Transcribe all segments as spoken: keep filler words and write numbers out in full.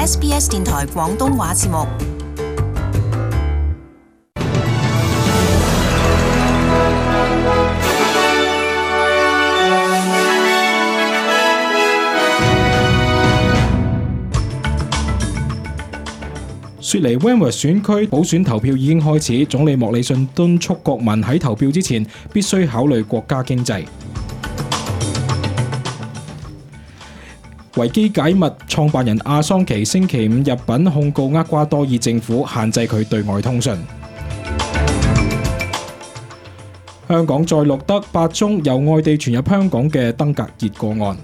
S B S 電台廣東話節目。雪梨 Wentworth 選區補選投票已經開始，總理莫里遜敦促國民喺投票之前必須考慮國家經濟。維基解密創辦人阿桑奇星期五入稟控告厄瓜多爾政府限制佢對外通訊。香港再錄得八宗由外地傳入香港嘅登革熱個案。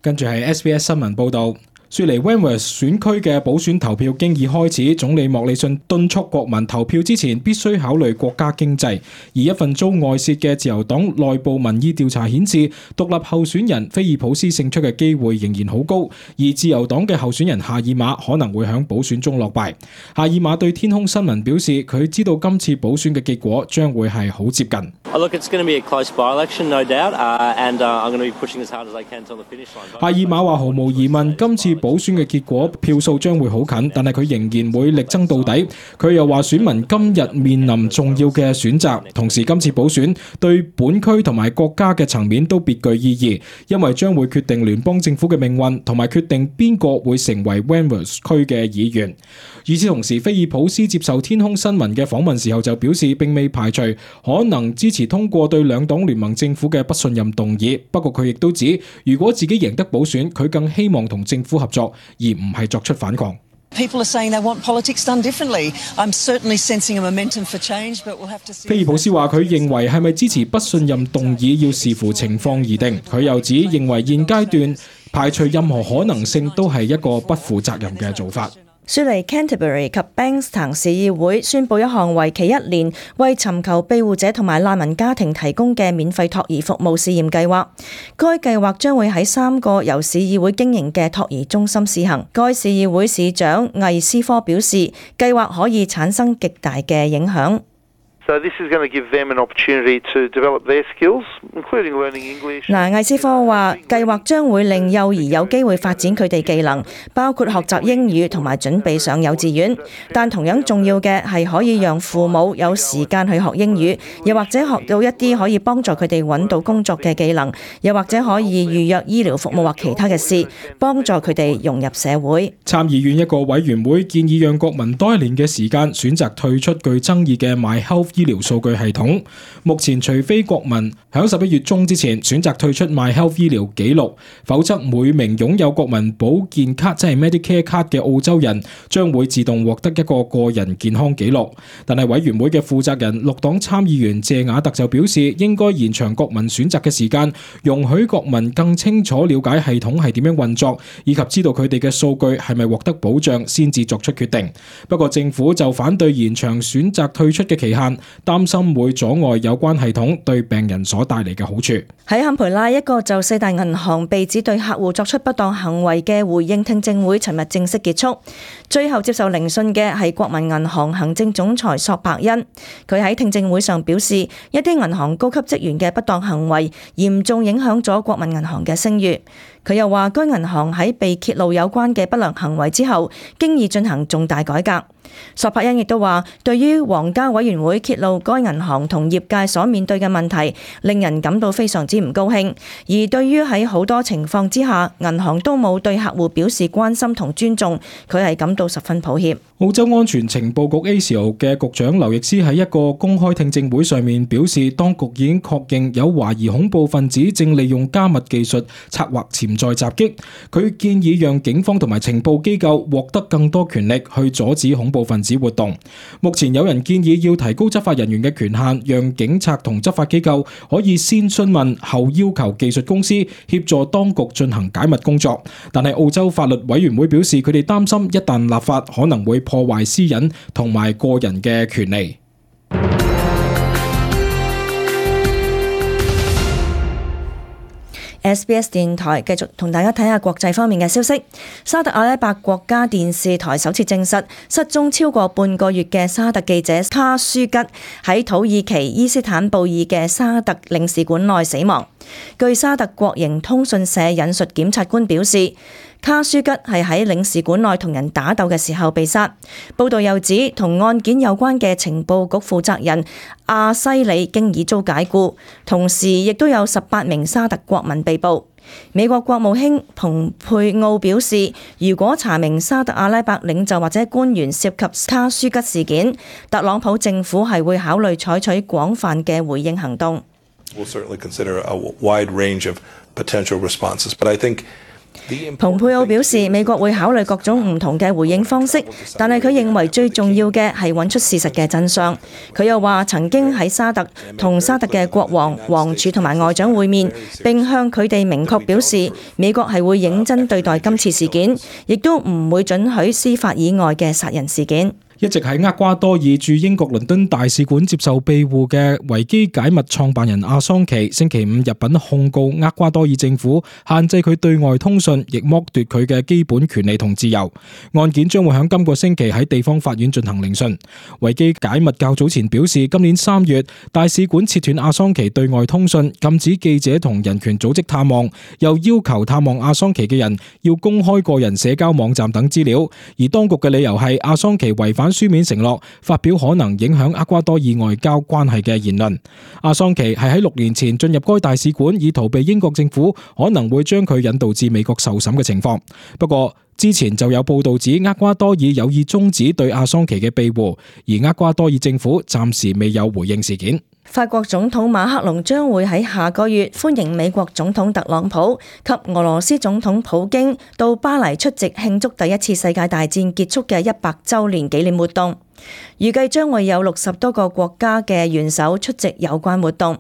跟住係 S B S 新聞報導，雪梨 Wentworth 選區嘅補選投票經已開始，總理莫里遜敦促國民投票之前必須考慮國家經濟。而一份遭外泄嘅自由黨內部民意調查顯示，獨立候選人菲爾普斯勝出嘅機會仍然好高，而自由黨嘅候選人夏爾馬可能會喺補選中落敗。夏爾馬對天空新聞表示，佢知道今次補選嘅結果將會係好接近。Look, it's going to be a close by-election, no doubt, uh, and uh, I'm going to be pushing as hard as I can to the finish line. 夏爾馬話：毫無疑問，今次補選嘅結果票數將會好近，但係佢仍然會力爭到底。佢又話：選民今日面臨重要嘅選擇，同時今次補選對本區同埋國家嘅層面都別具意義，因為將會決定聯邦政府嘅命運，同埋決定邊個會成為 Wentworth 區嘅議員。與此同時，菲爾普斯接受天空新聞嘅訪問時候就表示，並未排除可能支持通過對兩黨聯盟政府嘅不信任動議。不過佢亦都指，如果自己贏得補選，佢更希望同政府合作，而唔係作出反抗。People are saying they want politics done differently. I'm certainly sensing a momentum for change, but we'll have to see. 菲爾普斯話：佢認為係咪支持不信任動議要視乎情況而定。佢又指認為現階段排除任何可能性都係一個不負責任嘅做法。雪梨 Canterbury 及 Bankstown 市議會宣布一項為期一年為尋求庇護者同埋難民家庭提供嘅免費托兒服務試驗計劃。該計劃將會喺三個由市議會經營嘅托兒中心試行。該市議會市長魏斯科表示，計劃可以產生極大嘅影響。So this is going to give them an opportunity to develop their skills, including learning English. 嗱，魏斯科話，計劃將會令幼兒有機會發展佢哋技能，包括學習英語同埋準備上幼稚園。但同樣重要嘅係可以讓父母有時間去學英語，又或者學到一啲可以幫助佢哋揾到工作嘅技能，又或者可以預約醫療服務或其他嘅事，幫助佢哋融入社會。參議院一個委員會建議讓國民多一年嘅時間選擇退出具爭議嘅 MyHealth醫療數據系統。目前除非國民喺十一月中之前選擇退出 MyHealth 醫療記錄，否則每名擁有國民保健卡即係 Medicare 卡嘅澳洲人將會自動獲得一個個人健康記錄。但係委員會嘅負責人綠黨參議員謝雅特就表示，應該延長國民選擇嘅時間，容許國民更清楚了解系統係點樣運作，以及知道佢哋嘅數據係咪獲得保障先至作出決定。不過政府就反對延長選擇退出嘅期限，擔心會阻礙有關系統對病人所帶嚟嘅好處。喺坎培拉，一個就四大銀行被指對客戶作出不當行為嘅回應聽證會尋日正式結束。最後接受聆訊嘅係國民銀行行政總裁索柏恩。佢喺聽證會上表示，一啲銀行高級職員嘅不當行為嚴重影響咗國民銀行嘅聲譽。佢又話，該銀行喺被揭露有關嘅不良行為之後，經已進行重大改革。索柏恩亦都話，對於皇家委員會揭露該銀行同業界所面對嘅問題，令人感到非常之唔高興。而對於喺好多情況之下，銀行都冇對客戶表示關心同尊重，佢係感到十分抱歉。澳洲安全情報局 A C O 嘅局長劉易斯喺一個公開聽證會上面表示，當局已經確認有懷疑恐怖分子正利用加密技術策劃潛在襲擊。佢建議讓警方同埋情報機構獲得更多權力去阻止恐怖分子活動。目前有人建議要提高執法人員嘅權限，讓警察同執法機構可以先詢問後要求技術公司協助當局進行解密工作。但係澳洲法律委員會表示，佢哋擔心一旦立法可能會破壞私隱同埋個人嘅權利。S B S 電台繼續同大家睇下國際方面嘅消息。沙特阿拉伯國家電視台首次證實，失蹤超過半個月嘅沙特記者卡舒吉喺土耳其伊斯坦布爾嘅沙特領事館內死亡。據沙特國營通訊社引述檢察官表示，卡舒吉係喺領事館內同人打鬥嘅時候被殺。報道又指，同案件有關嘅情報局負責人阿西里經已遭解雇，同時亦都有十八名沙特國民被捕。美國國務卿蓬佩奧表示，如果查明沙特阿拉伯領袖或者官員涉及卡舒吉事件，特朗普政府係會考慮採取廣泛嘅回應行動。We'll certainly consider a wide range of potential responses, but I think蓬佩奧表示，美國會考慮各種唔同嘅回應方式，但係佢認為最重要嘅係揾出事實嘅真相。佢又話曾經喺沙特同沙特嘅國王、王儲同埋外長會面，並向佢哋明確表示，美國係會認真對待今次事件，亦都唔會准許司法以外嘅殺人事件。一直喺厄瓜多爾駐英國倫敦大使館接受庇護嘅維基解密創辦人阿桑奇，星期五入稟控告厄瓜多爾政府限制佢對外通訊，亦剝奪佢嘅基本權利同自由。案件將會喺今個星期喺地方法院進行聆訊。維基解密較早前表示，今年三月大使館切斷阿桑奇對外通訊，禁止記者同人權組織探望，又要求探望阿桑奇嘅人要公開個人社交網站等資料。而當局嘅理由係阿桑奇違反書面承諾，發表可能影響厄瓜多爾外交關係嘅言論。阿桑奇係喺六年前進入該大使館，以逃避英國政府可能會將佢引導至美國受審嘅情況。不過之前就有報道指厄瓜多爾有意終止對阿桑奇嘅庇護，而厄瓜多爾政府暫時未有回應事件。法國總統馬克龍將會喺下個月歡迎美國總統特朗普及俄羅斯總統普京到巴黎出席慶祝第一次世界大戰結束嘅一百週年紀念活動。預計將會有六十多個國家嘅元首出席有關活動。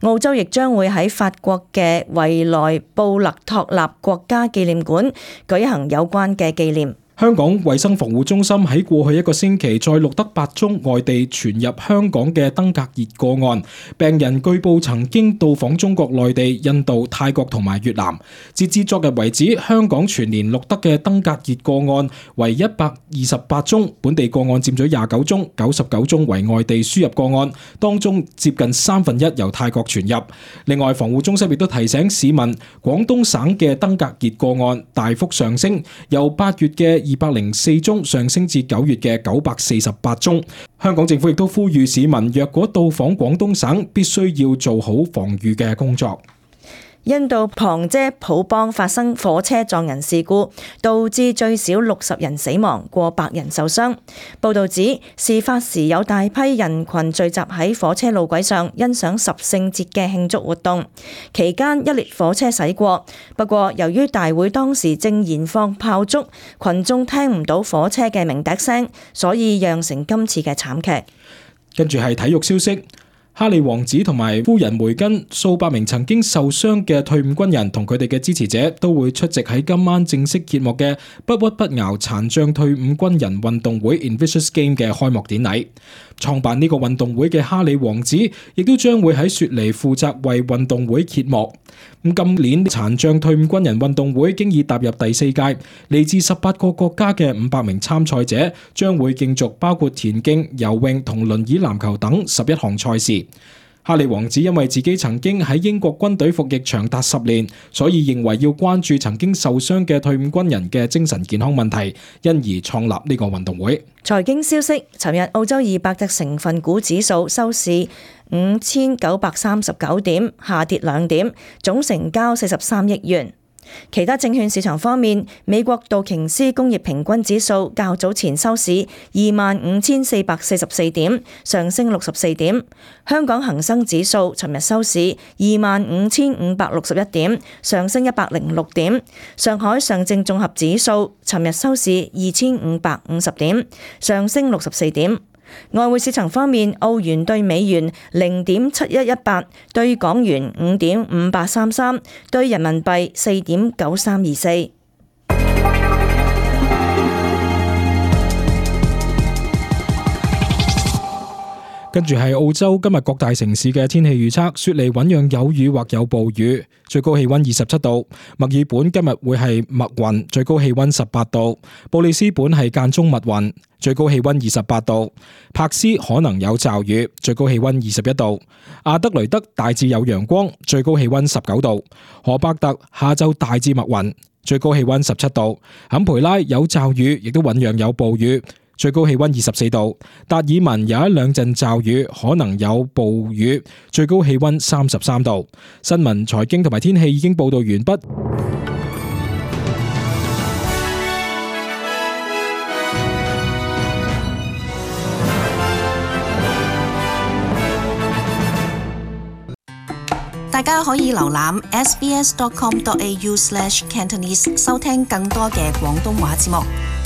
澳洲亦將會喺法國嘅維萊布勒托納國家紀念館舉行有關嘅紀念。香港衛生防護中心喺過去一個星期再錄得八宗外地傳入香港嘅登革熱個案，病人據報曾經到訪中國內地、印度、泰國同埋越南。截至昨日為止，香港全年錄得嘅登革熱個案為一百二十八宗，本地個案佔咗廿九宗，九十九宗為外地輸入個案，當中接近三分一由泰國傳入。另外，防護中心亦都提醒市民，廣東省嘅登革熱個案大幅上升，由八月嘅二百零四宗上升至九月嘅九百四十八宗。香港政府亦都呼籲市民，若果到訪廣東省，必須要做好防禦嘅工作。印度旁遮普邦發生火車撞人事故，導致最少六十人死亡，過百人受傷。報道指，事發時有大批人群聚集喺火車路軌上，欣賞十聖節嘅慶祝活動。期間一列火車駛過，不過由於大會當時正燃放炮竹，群眾聽唔到火車嘅鳴笛聲，所以釀成今次嘅慘劇。跟住係體育消息。哈利王子同埋夫人梅根，數百名曾經受傷嘅退伍軍人同佢哋嘅支持者都會出席喺今晚正式揭幕嘅不屈不撓殘障退伍軍人運動會 Invictus Game 嘅開幕典禮。創辦呢個運動會嘅哈利王子亦都將會喺雪梨負責為運動會揭幕。咁今年殘障退伍軍人運動會經已踏入第四屆，嚟自十八個國家嘅五百名參賽者將會競逐包括田徑、游泳同輪椅籃球等十一項賽事。哈利王子因為自己曾經喺英國軍隊服役長達十年，所以認為要關注曾經受傷嘅退伍軍人嘅精神健康問題，因而創立呢個運動會。財經消息，尋日澳洲二百隻成分股指數收市五千九百三十九點，下跌兩點，總成交四十三億元。其他證券市場方面，美國道瓊斯工業平均指數較早前收市二萬五千四百四十四點，上升六十四點。香港恒生指數尋日收市二萬五千五百六十一點，上升一百零六點。上海上證綜合指數尋日收市二千五百五十點，上升六十四點。外匯市場方面，澳元對美元零點七一一八，對港元五點五八三三，對人民幣四點九三二四。跟住係澳洲今日各大城市嘅天氣預測，雪梨醞釀有雨或有暴雨，最高氣溫二十七度；墨爾本今日會係密雲，最高氣溫十八度；布里斯本係間中密雲，最高氣溫二十八度；柏斯可能有驟雨，最高氣溫二十一度；阿德雷德大致有陽光，最高氣溫十九度；荷伯特下晝大致密雲，最高氣溫十七度；坎培拉有驟雨，亦都醞釀有暴雨，最高氣溫二十四度；達爾文有一兩陣驟雨，可能有暴雨，最高氣溫三十三度。新聞、財經同埋天氣已經報道完畢。大家可以瀏覽 s b s dot com dot a u slash cantonese 收聽更多嘅廣東話節目。